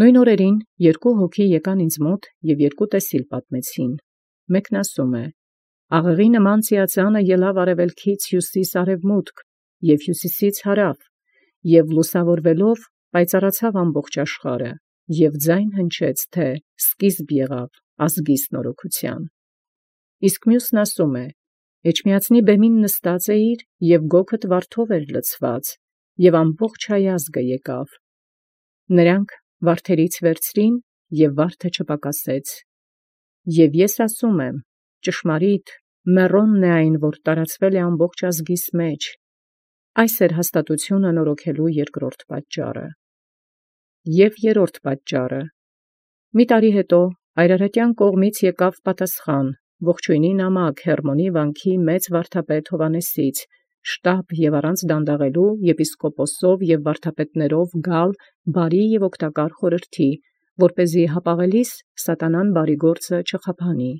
Նոյն օրերին երկու հոգի եկան ինձ մոտ և երկու տեսիլ պատմեցին. մեկն ասում է. աղեղի նման ծիածանը ելավ արևելքից հյուսիս արևմուտք և հյուսիսից հարավ, և լուսավորվելով պայծառացավ ամբողջ աշխարհը, և ձայն հնչեց, թե սկիզբ եղավ ազգիս նորոգութեան։ Իսկ մյուսն ասում է. էջմիածնի բեմին նստած էիր, և գոգդ վարդով էր լցված, և ամբողջ հայազգը եկավ։ Նրանք վարդերից վերցրին, և վարդը չպակասեց։ Եվ ես ասում եմ. ճշմարիտ, մեռոնն է այն, որ տարածվել է ամբողջ ազգիս մեջ։ Այս էր հաստատությունը նորոգելու երկրորդ պատճառը։ Եւ երրորդ պատճառը. մի տարի հետո Այրարատյան կողմից եկավ պատասխան, ողջույնի նամակ Հերմոնի վանքի մեծ վարդապետ Հովհաննեսից, շտապ և առանց դանդաղելու եպիսկոպոսով և վարդապետներով գալ բարի և օգտակար խորհրդի, որպեսզի հապաղելիս սատանան բարի գործը չխափանի։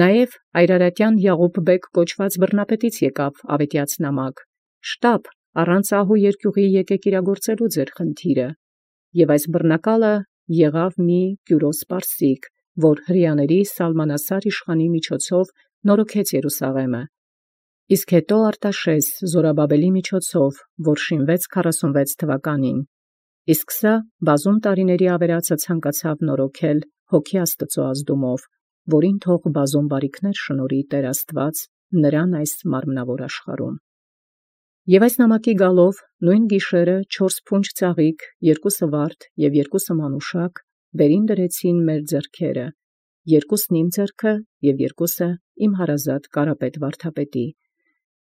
Նաև Այրարատյան Յաղուբ բեկ կոչված բռնապետից եկավ ավետյաց նամակ, շտապ առանց ահու երկյուղի եկեք իրագործելու ձեր խնդիրը, և այս բռնակալը եղավ մի Կյուրոս պարսիկ, որ հրեաների Սալմանասար իշխանի միջոցով նորոգեց Երուսաղեմը, իսկ հետո Արտաշես Զորաբաբելի միջոցով, որ շինվեց 46 թվականին, իսկ սա բազում տարիների ավերածը ցանկացավ նորոգել հոգի Աստծո ազդումով, որին թող բազում բարիքներ շնորհի Տեր Աստված նրան այս մարմնավոր աշխարհում։ Եւ այս նամակի գալով նույն գիշերը 4 փունջ ծաղիկ, 2 վարդ եւ 2 մանուշակ վերին դրեցին մեր ձեռքերը, 2-ն իմ ձեռքը եւ 2-ը իմ հարազատ Կարապետ վարդապետի,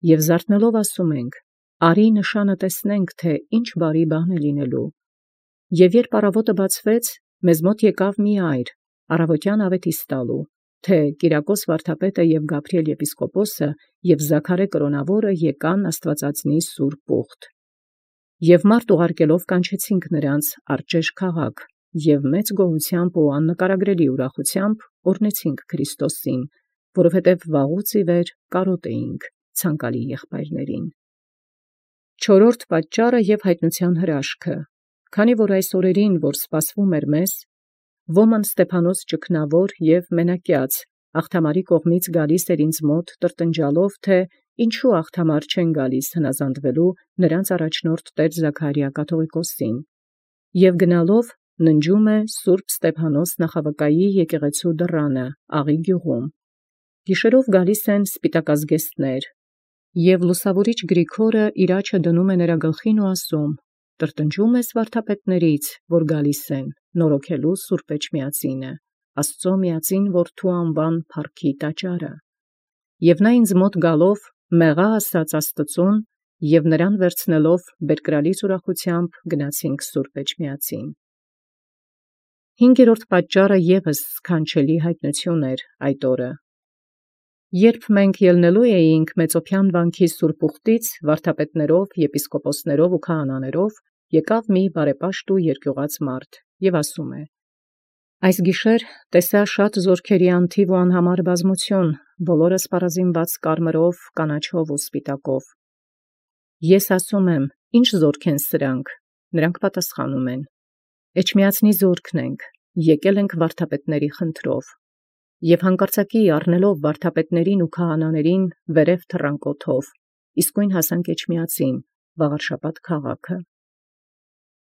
եւ զարթնելով ասում ենք. «Արի նշանը տեսնենք, թե ինչ բարի բան է լինելու»։ Եւ երբ առավոտը բացվեց, մեզ մոտ եկավ մի այր, առավոտյան ավետիս տալու, թե Կիրակոս վարդապետը եւ Գաբրիել եպիսկոպոսը եւ Զաքարե կրոնավորը եկան Աստվածածնի սուրբ ուխտ։ Եւ մարդ ուղարկելով կանչեցինք նրանց Արջեշ քաղաք, եւ մեծ գոհությամբ ու աննկարագրելի ուրախությամբ օրհնեցինք Քրիստոսին, որովհետեւ վաղուց ի վեր կարոտ էինք ցանկալի եղբայրներին։ Չորրորդ պատճառը եւ հայտնության հրաշքը, քանի որ այս օրերին, որ սպասվում էր մեզ, ոման Ստեփանոս ճգնավոր եւ մենակյաց աղթամարի կողմից գալիս էր ինձ մոտ տրտնջալով, թե ինչու աղթամար չեն գալիս հնազանդվելու նրանց առաջնորդ Տեր Զաքարիա կաթողիկոսին, եւ գնալով ննջում է Սուրբ Ստեփանոս նախավկայի եկեղեցու դռանը Աղի գյուղում։ Գիշերով գալիս են սպիտակազգեստներ, եւ լուսավորիչ Գրիգորը իր աջը դնում է նրա գլխին ու ասում. «Տրտնջում ես վարդապետներից, որ գալիս են նորոգելու Սուրբ Էջմիածինը, Աստծո միածին Որդու անվան փառքի տաճարը»։ Եւ նա ինձ մոտ գալով մեղա ասաց Աստծուն, եւ նրան վերցնելով բերկրալից ուրախությամբ գնացինք Սուրբ Էջմիածին։ Հինգերորդ պատճառը եւս սքանչելի հայտնություն էր այդ օրը։ Երբ մենք ելնելու էինք Մեծոփյան վանքի սուրբ ուխտից վարդապետներով, եպիսկոպոսներով ու քահանաներով, եկավ մի բարեպաշտ ու երկյուղած մարդ եւ ասում է. «Այս գիշեր տեսա շատ զորքերի անթիվ ու անհամար բազմություն, բոլորը սպառազինված կարմրով, կանաչով ու սպիտակով։ Ես ասում եմ. ինչ զորք են սրանք։ Նրանք պատասխանում են. Էջմիածնի զորքն ենք, եկել ենք վարդապետների խնդրով։ Եվ հանկարծակի առնելով վարդապետներին ու քահանաներին վերև թռան կոթով, իսկույն հասանք Էջմիածին, Վաղարշապատ քաղաքը։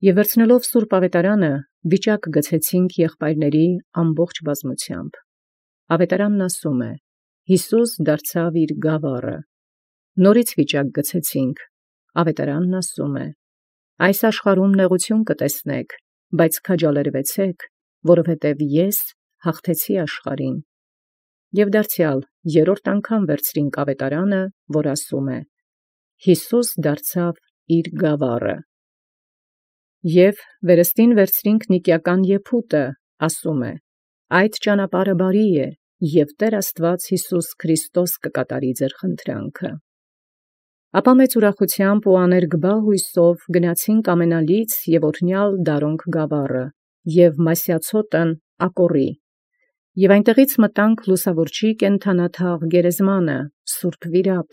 Եվ վերցնելով Սուրբ Ավետարանը, վիճակ գցեցինք եղբայրների ամբողջ բազմությամբ։ Ավետարանն ասում է. Հիսուս դարձավ իր գավառը։ Նորից վիճակ գցեցինք։ Ավետարանն ասում է. այս աշխարհում նեղություն կտեսնեք, բայց քաջալերվեցեք, որովհետև ես հաղթեցի աշխարհին։ Եվ դարձյալ երրորդ անգամ վերցրինք ավետարանը, որ ասում է. Հիսուս դարձավ իր գավառը։ Եվ վերստին վերցրինք Նիկիական եփուտը, ասում է. այդ ճանապարհը բարի է, և Տեր Աստված Հիսուս Քրիստոս կկատարի ձեր խնդրանքը։ Ապա մեծ ուրախությամբ ու աներկբա հույսով գնացինք ամենալից և օրհնյալ Դարոնք գավառը և Մասյացոտն Ակորի, և այնտեղից մտանք լուսավորչի կենդանաթաղ գերեզմանը, Սուրբ Վիրապ,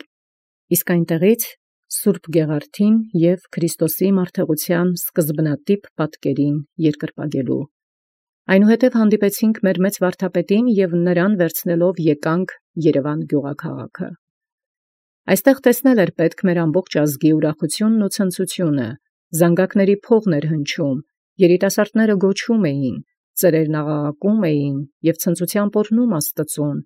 իսկ այնտեղից Սուրբ Գեղարդին և Քրիստոսի մարդեղության սկզբնատիպ պատկերին երկրպագելու։ Այնուհետև հանդիպեցինք մեր մեծ վարդապետին և նրան վերցնելով եկանք Երևան գյուղաքաղաքը։ Այստեղ տեսնել էր պետք մեր ամբողջ ազգի ուրախությունն ու ցնծությունը, զանգակների փողն էր հնչում, երիտասարդները գոչում էին, ծերերն աղաղակում էին և ցնծությամբ օրհնում Աստծուն,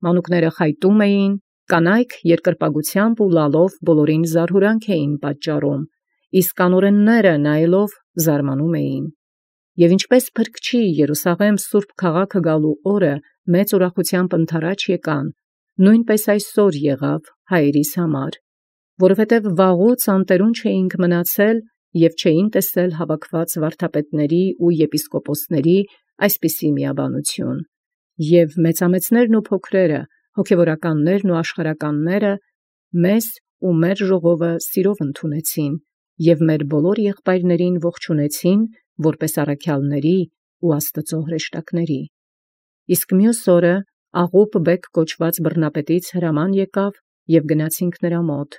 մանուկները խայտում էին, կանայք երկրպագությամբ ու լալով բոլորին զարհուրանք էին պատճառում, իսկ անօրենները նայելով զարմանում էին։ Եվ ինչպես փրկչի Երուսաղեմ սուրբ քաղաքը գալու օրը մեծ ուրախությամբ ընթരാճ եկան, նույնպես այսօր եղավ հայերիս համար, որովհետև վաղուց անտերուն չէինք մնացել և չէին տեսել հավաքված վարդապետների ու եպիսկոպոսների այսպիսի միաբանություն, և մեծամեծներն ու փոքրերը, հոգևորականներն ու աշխարհականները մեզ ու մեր ժողովը սիրով ընդունեցին և մեր բոլոր եղբայրներին ողջունեցին որպես առաքյալների ու Աստծո հրեշտակների։ Իսկ մյուս օրը Աղուպ բեկ կոչված բռնապետից հրաման եկավ և գնացինք նրա մոտ,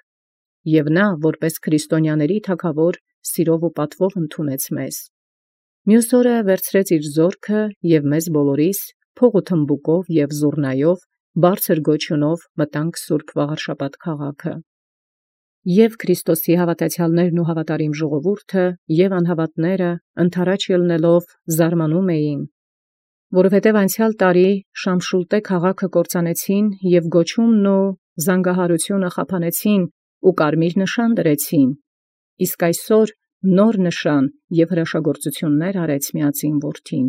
և նա որպես քրիստոնյաների թագավոր սիրով ու պատվով ընդունեց մեզ։ Մյուս օրը վերցրեց իր զորքը և մեզ բոլորիս փող ու թմբուկով և զուռնայով բարձր գոչյունով մտանք սուրբ Վաղարշաբաթ քաղաքը։ Եւ Քրիստոսի հավատացյալներն ու հավատարիմ ժողովուրդը եւ անհավատները ընթരാճ ելնելով զարմանում էին, որովհետև անցյալ տարի Շամշուլտե քաղաքը կործանեցին և գոչումն ու զանգահարությունը խափանեցին ու կարմիր նշան դրեցին, իսկ այսօր նոր նշան և հրաշագործություններ արեց միածին որդին։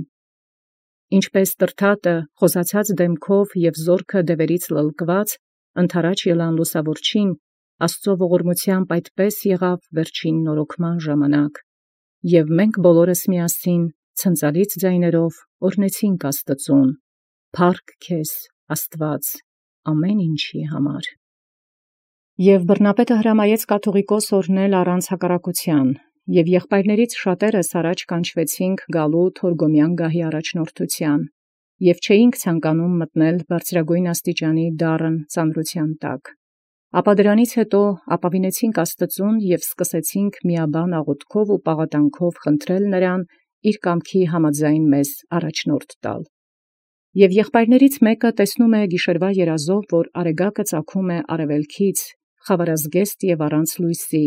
Ինչպես տրթատը խոզացած դեմքով և զորքը դևերից լլկված ընթരാճ ելան լուսավորչին, Աստծո ողորմությամբ այդպես եղավ վերջին նորոգման ժամանակ, և մենք բոլորս միասին ցնծալից ձայներով օրհնեցինք Աստծուն. «Փառք քեզ, Աստված, ամեն ինչի համար»։ Եւ բռնապետը հրամայեց կաթողիկոս օրհնել առանց հակառակության, և եղբայրներից շատերս առաջ կանչվեցինք գալու Թորգոմյան գահի առաջնորդության, և չէինք ցանկանում մտնել բարձրագույն աստիճանի դառն ծանրության տակ։ Ապա դրանից հետո ապավինեցինք Աստծուն և սկսեցինք միաբան աղոթքով ու պաղատանքով խնդրել նրան իր կամքի համաձայն մեզ առաջնորդ տալ։ Եւ եղբայրներից մեկը տեսնում է գիշերվա երազով, որ արեգակը ծագում է արևելքից, խավարազգեստ եւ առանց լույսի,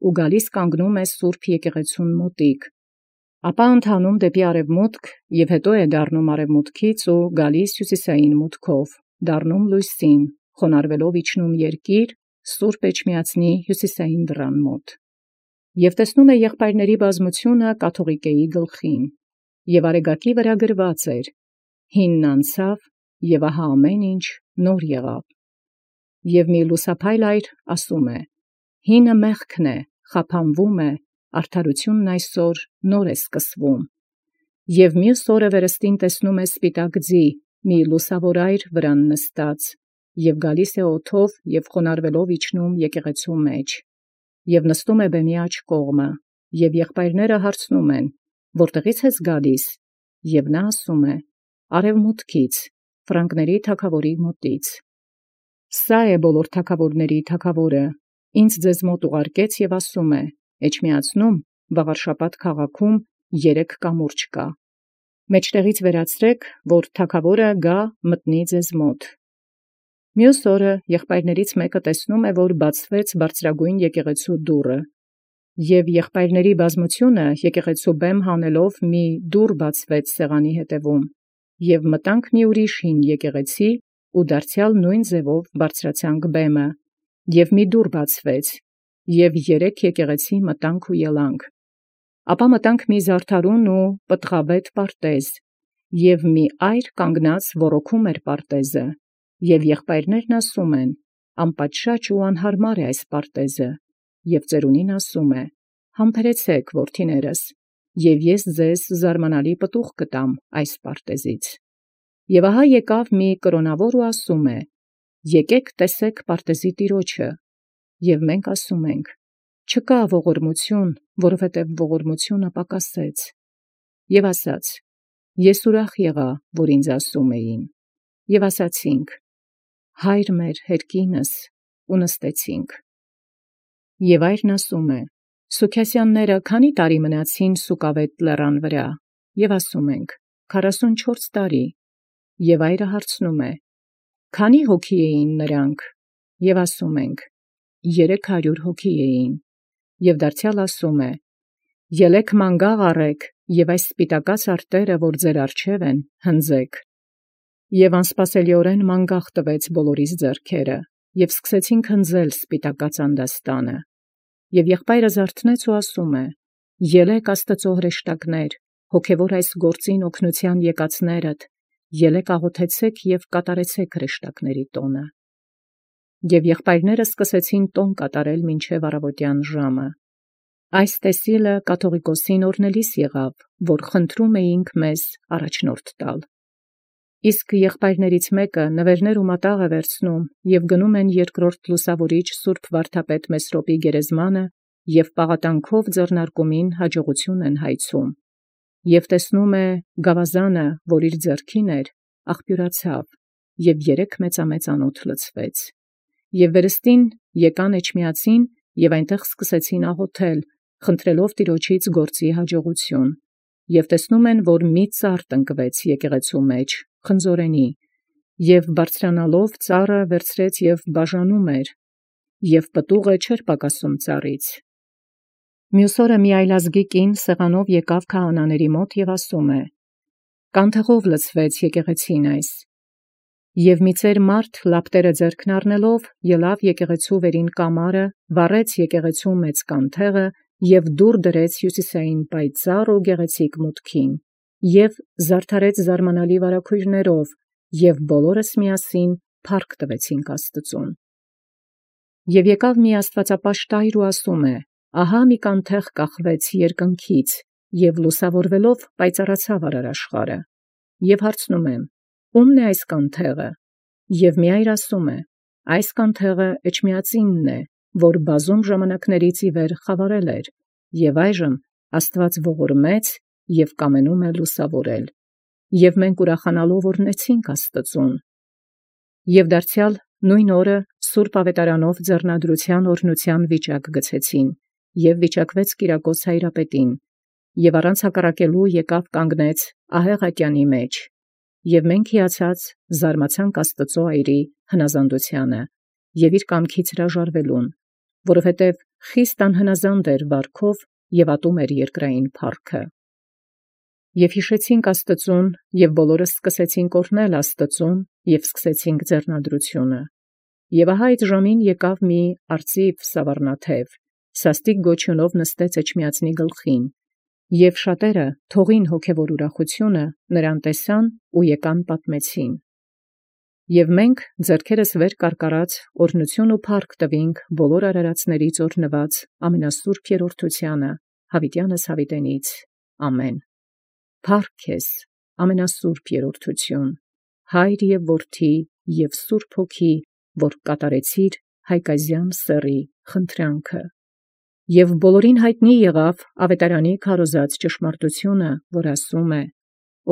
ու գալիս կանգնում է սուրբ եկեղեցուն մոտիկ, ապա ընթանում դեպի արևմուտք և հետո է դառնում արևմուտքից ու գալիս հյուսիսային մուտքով, դառնում լույսին, խոնարհվելով իջնում երկիր, Սուրբ Էջմիածնի հյուսիսային դռան մոտ։ Եւ տեսնում է եղբայրների բազմությունը կաթողիկեի գլխին, եւ արեգակի վրա գրված էր. «Հինն անցավ, եւ ահա ամեն ինչ նոր եղավ»։ Եւ մի լուսափայլ այր ասում է. «Հինը մեղքն է, խափանվում է, արդարությունն այսօր նոր է սկսվում»։ Եւ մյուս օրը վերստին տեսնում է սպիտակ ձի, մի լուսավոր այր վրան նստած, եւ գալիս է օդով եւ խոնարհվելով իջնում եկեղեցու մեջ, եւ նստում է բեմի աջ կողմը, եւ եղբայրները հարցնում են. «Որտեղից ես գալիս»։ Եւ նա ասում է. «Արևմուտքից, Ֆրանկների թագավորի մոտից»։ Սա է բոլոր թագավորների թագավորը, ինձ ձեզ մոտ ուղարկեց եւ ասում է. Էջմիածնում, Վաղարշաբաթ քաղաքում 3 կամուրջ կա. մեջտեղից վերացրեք, որ թագավորը գա մտնի ձեզ մոտ։ Մյուս օրը եղբայրներից մեկը տեսնում է, որ բացվեց բարձրագույն եկեղեցու դուռը, եւ եղբայրների բազմությունը եկեղեցու բեմ հանելով մի դուռ բացվեց սեղանի հետևում, եւ մտանք մի ուրիշ հին եկեղեցի, ու դարձյալ նույն ձևով բարձրացանք բեմը, եւ մի դուռ բացվեց, եւ 3 եկեղեցի մտանք ու ելանք։ Ապա մտանք մի զարդարուն ու պտղաբետ պարտեզ, եւ մի այր կանգնած ոռոգում էր պարտեզը, եւ եղբայրներն ասում են. «Անպատշաճ ու անհարմար է այս պարտեզը», եւ ծերունին ասում է. «Համբերեցեք, որդիներս, եւ ես ձեզ զարմանալի պտուղ կտամ այս պարտեզից»։ Եւ ահա եկավ մի կրոնավոր ու ասում է. «Եկեք տեսեք պարտեզի տիրոջը», եւ մենք ասում ենք. «Չկա ողորմություն, որովհետև ողորմությունը պակասեց»։ Եւ ասաց. «Ես ուրախ եղա, որ ինձ ասում էին»։ Եւ ասացինք. «Հայր մեր հերկինս», ու նստեցինք։ Եւ այրն ասում է. Սուքեսյանները քանի տարի մնացին Սուկավետ լեռան վրա, եւ ասում ենք. 44 տարի, եւ այրը հարցնում է. քանի հոգի էին նրանք, եւ ասում ենք. 300 հոգի էին, եւ դարձյալ ասում է. ելեք մանգաղ առեք, եւ այս սպիտակած արտերը, որ ձեր առջև են, հնձեք։ Եւ անսպասելիորեն մանգաղ տվեց բոլորիս ձեռքերը, եւ սկսեցին հնձել սպիտակած անդաստանը։ Եւ եղբայրը զարթնեց ու ասում է. ելեք Աստծո հրեշտակներ, հոգևոր այս գործին օգնության եկածներդ, ելեք աղոթեցեք եւ կատարեցեք հրեշտակների տոնը։ Եւ եղբայրները սկսեցին տոն կատարել մինչև առավոտյան ժամը։ Այս տեսիլը կաթողիկոսին օրնելիս եղավ, որ խնդրում էինք մեզ առաջնորդ տալ։ Իսկ եղբայրներից մեկը նվերներ ու մատաղ է վերցնում եւ գնում են երկրորդ լուսավորիչ Սուրբ Վարդապետ Մեսրոպի գերեզմանը եւ պաղատանքով ձեռնարկումին հաջողություն են հայցում։ Եվ տեսնում է գավազանը, որ իր ձեռքին էր, աղբյուրացավ եւ 3 մեծամեծ անոթ լցվեց։ Եւ վերստին եկան Էջմիածին եւ այնտեղ սկսեցին աղոթել, խնդրելով Տիրոջից գործի հաջողություն։ Եվ տեսնում են, որ մի ծառ տնկվեց եկեղեցու մեջ, խնձորենի, եւ բարձրանալով ծառը վերցրեց եւ բաժանում էր, եւ պտուղը չէր պակասում ծառից։ Մյուս օրը մի այլազգի կին սեղանով եկավ քահանաների մոտ եւ ասում է. «Կանթեղով լցվեց եկեղեցին այս»։ Եվ մի ծեր մարդ լապտերը ձեռքն առնելով ելավ եկեղեցու վերին կամարը, վառեց եկեղեցու մեծ կանթեղը եւ դուր դրեց հյուսիսային պայծառ ու գեղեցիկ մուտքին, եւ զարդարեց զարմանալի վարագույրներով, եւ բոլորս միասին փառք տվեցինք Աստծուն։ Եվ եկավ մի աստվածապաշտ այր ու ասում է. «Ահա մի կանթեղ կախվեց երկնքից, եւ լուսավորվելով պայծառացավ արարաշխարը»։ Եվ հարցնում եմ. «Ո՞ւմն է այս կանթեղը»։ Եվ մի այր ասում է. «Այս կանթեղը Էջմիածինն է, որ բազում ժամանակներից ի վեր խավարել էր, եւ այժմ Աստված ողորմեց եւ կամենում է լուսավորել։ Եվ մենք ուրախանալով օրհնեցինք Աստծուն»։ Եվ դարձյալ նույն օրը Սուրբ Ավետարանով ձեռնադրության օրհնության վիճակ գցեցին, եւ վիճակվեց Կիրակոս հայրապետին, եւ առանց հակառակելու եկավ կանգնեց ահեղ ատյանի մեջ, եւ մենք հիացած զարմացանք Աստծո այրի հնազանդությանը եւ իր կամքից հրաժարվելուն, որովհետեւ խիստ անհնազանդ էր վարքով եւ ատում էր երկրային փառքը։ Եվ հիշեցինք Աստծուն, եւ բոլորս սկսեցինք օրհնել Աստծուն եւ սկսեցինք ձեռնադրությունը։ Եվ ահա այդ ժամին եկավ մի արծիվ սավառնաթև, սաստիկ գոչյունով նստեց Էջմիածնի գլխին, եւ շատերը թողին հոգևոր ուրախությունը նրան տեսան ու եկան պատմեցին։ Եվ մենք ձեռքերս վեր կարկարած օրհնություն ու փառք տվինք բոլոր արարածներից օրհնված ամենասուրբ երրորդությանը, Յավիտյանս Յավիտենից։ Ամեն։ Փառք քեզ, ամենասուրբ երրորդություն, Հայր եւ Որդի եւ Սուրբ Հոգի, որ կատարեցիր հայկազյան սեռի խնդրանքը։ Եվ բոլորին հայտնի եղավ ավետարանի քարոզած ճշմարտությունը, որ ասում է.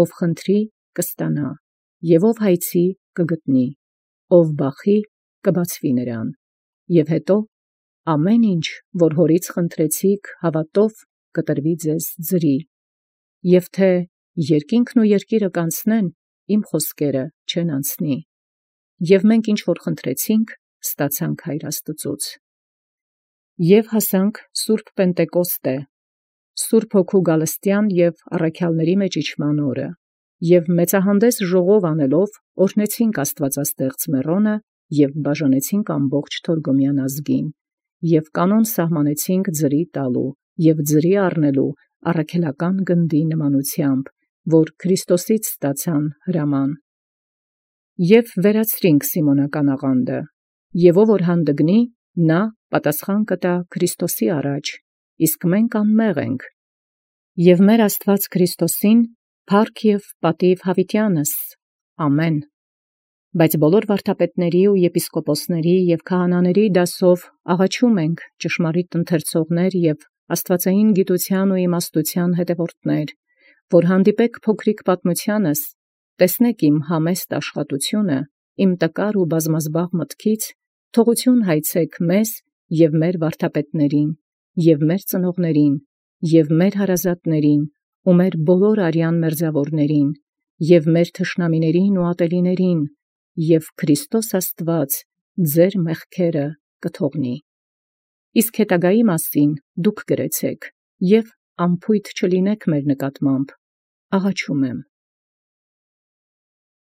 ով խնդրի կստանա, եւ ով հայցի կգտնի, ով բախի կբացվի նրան։ Եվ հետո ամեն ինչ, որ հորից խնդրեցիք հավատով, կտրվի ձեզ ձրի։ Եվ թե երկինքն ու երկիրը կանցնեն, իմ խոսքերը չեն անցնի։ Եվ մենք ինչ որ խնդրեցինք, ստացանք Հայր Աստծուց։ Եվ հասանք Սուրբ Պենտեկոստե, Սուրբ Հոգու գալստյան եւ առաքյալների մեջ իջման օրը, եւ մեծահանդես ժողով անելով օրհնեցինք Աստվածաստեղծ Մեռոնը եւ բաժանեցինք ամբողջ Թորգոմյան ազգին, եւ կանոն սահմանեցինք ձրի տալու եւ ձրի առնելու առաքելական գնդի նմանությամբ, որ Քրիստոսից ստացան հրաման։ Եվ վերացրինք Սիմոնական աղանդը, եւ ով որ հանդգնի, նա պատասխան կտա Քրիստոսի առաջ, իսկ մենք անմեղ ենք։ Եվ մեր Աստված Քրիստոսին փառք եւ պատիւ Յավիտյանս։ Ամեն։ Բայց բոլոր վարդապետների ու եպիսկոպոսների եւ քահանաների դասով աղաչում ենք ճշմարիտ ընթերցողներ եւ աստվածային գիտության ու իմաստության հետևորդներ, որ հանդիպեք փոքրիկ պատմությանս, տեսնեք իմ համեստ աշխատությունը, իմ տկար ու բազմազբաղ մտքից, թողություն հայցեք մեզ և մեր վարդապետներին, և մեր ծնողներին, և մեր հարազատներին, ու մեր բոլոր արյան մերձավորներին, և մեր թշնամիներին ու ատելիներին, և Քրիստոս Աստված ձեր մեղքերը կթողնի։ Իսկ հետագայի մասին դուք գրեցեք, և անփույթ չլինեք մեր նկատմամբ, աղաչում եմ։